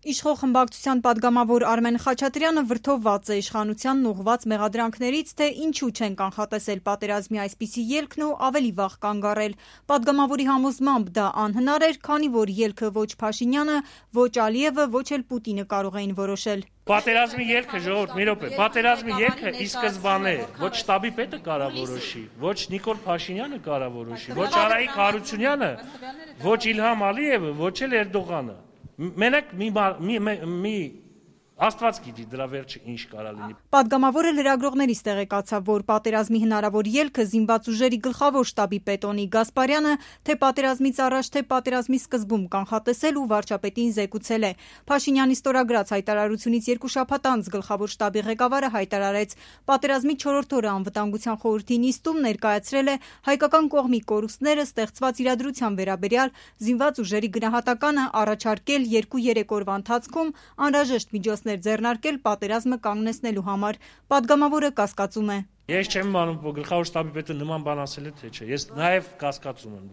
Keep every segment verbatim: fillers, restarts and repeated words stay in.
Իշխող խմբակցության պատգամավոր Արմեն Խաչատրյանը վրդովված է իշխանությանն ուղղված մեղադրանքներից, թե ինչու չեն կանխատեսել պատերազմի այսպիսի ելքն ու ավելի վաղ կանգ առել։ Պատգամավորի համոզմամբ դա անհնար էր, քանի որ ելքը ոչ Փաշինյանը, ոչ Ալիևը, ոչ էլ Պուտինը կարող էին որոշել։ Պատերազմի ելքը, ժողովուրդ, մի րոպե, պատերազմի ելքը ի սկզբանե ոչ շտաբի պետը կարա որոշի, ոչ Նիկոլ Փաշինյանը կարա որոշի, ոչ Արայիկ Հարությունյանը, ոչ Իլհամ Ալիևը, ոչ էլ Էրդողանը։ Մենակ մի, մի, մի Աստված գիտի դրա վերջը ինչ կարա լինի։ Պատգամավորը լրագրողներից տեղեկացավ, որ պատերազմի հնարավոր ելքը զինված ուժերի գլխավոր շտաբի պետ Գասպարյանը թե պատերազմից առաջ, թե պատերազմի սկզբում կանխատեսել ու վարչապետին զեկուցել է։ Փաշինյանի ստորագրած հայտարարությունից երկու շաբաթ անց գլխավոր շտաբի ղեկավարը հայտարարեց, պատերազմի չորրորդ օրը անվտանգության խորհրդի նիստում ներկայացրել է հայկական կողմի կորուստները ստեղծված իրադրության վերաբերյալ զինված ուժերի գնահատականը, առաջարկել երկու-երեք օրվա ընթացքում անհրաժեշտ միջոցներ ձեռնարկել պատերազմը կանգնեցնելու համար։ Պատգամավորը կասկածում է. Ես չեմ իմանում, որ գլխավոր շտաբի պետը նման բան ասել է, թե չէ։ Ես նաև կասկածում եմ։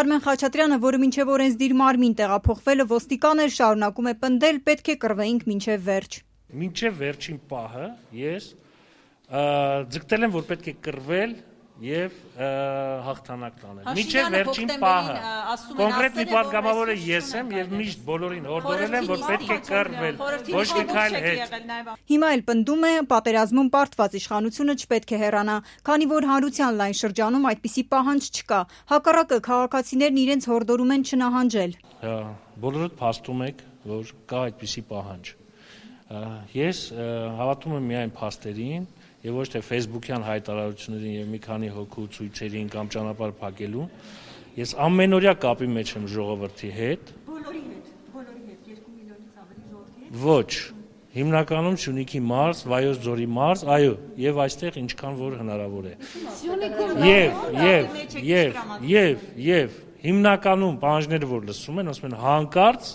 Արմեն Խաչատրյանը, որը մինչև օրենսդիր մարմին տեղափոխվելը ոստիկան էր, շարունակում է պնդել, պետք է կռվեինք մինչև վերջ։ Մինչև վերջին պահը ես ձգտել եմ, որ պետք է կռվել եւ հաղթանակ տանել։ Մինչև վերջին պահը կոնկրետ մի պատգամավորը ես եմ եւ միշտ բոլորին հորդորել եմ, որ պետք է կռվել, ոչ մի քայլ հետ։ Հիմա էլ պնդում է, պատերազմում պարտված իշխանությունը չպետք է հեռանա, քանի որ հանրության լայն շրջանում այդպիսի պահանջ չկա։ Հակառակը քաղաքացիներն իրենց հորդորում են չնահանջել։ Բոլորդ փաստում եք, որ կա այդպիսի պահանջ։ Ես հավատում եմ միայն փաստերին եւ ոչ թե Facebook-յան հայտարարություններին եւ մի քանի հոգու ցույցերին կամ ճանապարհ փակելու։ Ես ամենօրյա կապի մեջ եմ ժողովրդի հետ։ Բոլորի հետ, բոլորի հետ, երկու միլիոնից ավելի ժողովրդի հետ։ Ոչ, հիմնականում Սյունիքի մարզ, Վայոց ձորի մարզ, այո, եւ այստեղ ինչքան որ հնարավոր է։ Եվ, եւ, եւ, եւ, եւ հիմնականում պահանջները որ լսում են, ասում են հանկարծ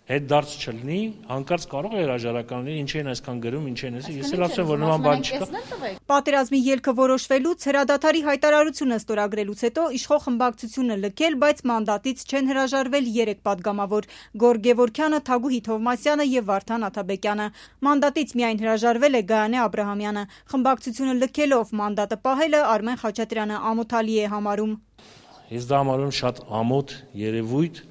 հետ դարձ չլինի, հանկարծ կարող է հրաժարական լինի, ինչ են այսքան գրում, ինչ են ասի, ես էլ ասեմ, որ նման բան չկա։ Պատերազմի ելքը որոշվելուց հրադադարի հայտարարությունը ստորագրելուց հետո իշխող խմբակցությունը լքել, բայց մանդատից չեն հրաժարվել երեք պատգամավոր՝ Գոռ Գևորգյանը, Թագուհի Թովմասյանը եւ Վարդան Աթաբեկյանը։ Մանդատից միայն հրաժարվել է Գայանե Աբրահամյանը։ Խմբակցությունը լքելով մանդատը պահելը Արմեն Խաչատրյանը ամոթալի է համարում։ Ես դա համարում շատ ամոթ երևույթ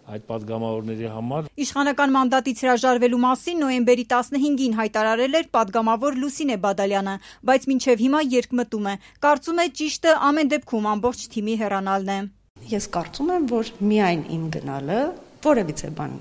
այդ պատգամավորների համար։ Իշխանական մանդատից հրաժարվելու մասին նոյեմբերի տասնհինգին հայտարարել էր պատգամավոր Լուսինե Բադալյանը, բայց մինչև հիմա երկմտում է։ Կարծում է ճիշտը ամեն դեպքում ամբողջ թիմի հեռանալն է։ Ես կարծում եմ, որ միայն իմ գնալը որևիցե բան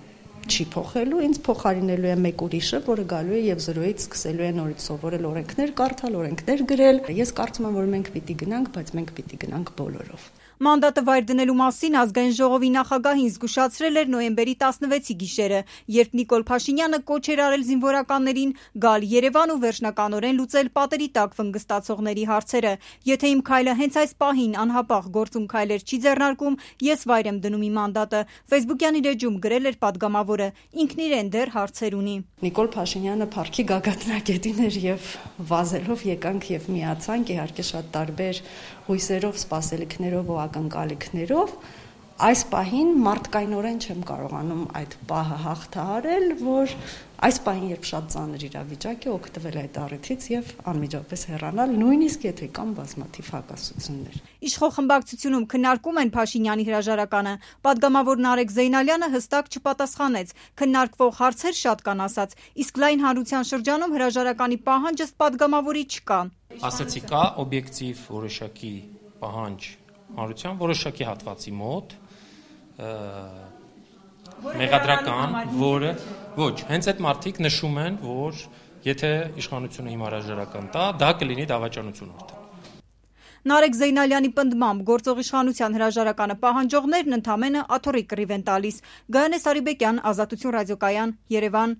չի փոխելու, ինձ փոխարինելու է մեկ ուրիշը, որը գալու է եւ զրոյից սկսելու է նորից սովորել օրենքներ կարդալ, օրենքներ գրել։ Ես կարծում եմ, որ մենք պիտի գնանք, բայց մենք պիտի գնանք բոլորով։ Մանդատը վայր դնելու մասին ազգային ժողովի նախագահին զգուշացրել էր նոյեմբերի տասնվեցի գիշերը, երբ Նիկոլ Փաշինյանը կոչ էր արել զինվորականներին գալ Երևան ու վերջնականորեն լուծել պատերի տակ վնգստացողների հարցերը։ Եթե իմ քայլը հենց այս պահին անհապաղ գործում քայլեր չի ձեռնարկում, ես վայր եմ դնում իմ մանդատը, Facebook-յան իր էջում գրել էր պատգամավորը, ինքն իրեն դեռ հարցեր ունի։ Նիկոլ Փաշինյանը փառքի գագաթնակետին էր եւ վազելով եկանք եւ միացանք, իհարկե շատ տարբեր հույսերով, սպասելիքներով ու ակնկալիքներով, այս պահին մարդկայնորեն չեմ կարողանում այդ պահը հաղթահարել, որ այս պահին երբ շատ ծանր իրավիճակ է, օգտվել այդ առիթից եւ անմիջապես հեռանալ, նույնիսկ եթե կան բազմաթիվ հակասություններ։ Իշխող խմբակցությունում քննարկում են Փաշինյանի հրաժարականը։ Պատգամավոր Նարեկ Զեյնալյանը հստակ չպատասխանեց։ Քննարկվող հարցեր շատ կան ասաց, իսկ լայն հանրության շրջանում հրաժարականի պահանջ ըստ պատգամավորի չկա։ Ասացի կա օբյեկտիվ որոշակի պահանջ հանրության որոշակի հատվածի մոտ մեղադրական, որը ոչ, հենց այդ մարդիկ նշում են, որ եթե իշխանությունը հիմա հրաժարական տա, դա կլինի դավաճանություն արդեն։ Նարեկ Զեյնալյանի պնդմամբ գործող իշխանության հրաժարականը պահանջողներն ընդամենը աթոռի կռիվ են տալիս։ Գայանե Սարիբեկյան, Ազատություն ռադիոկայան, Երևան։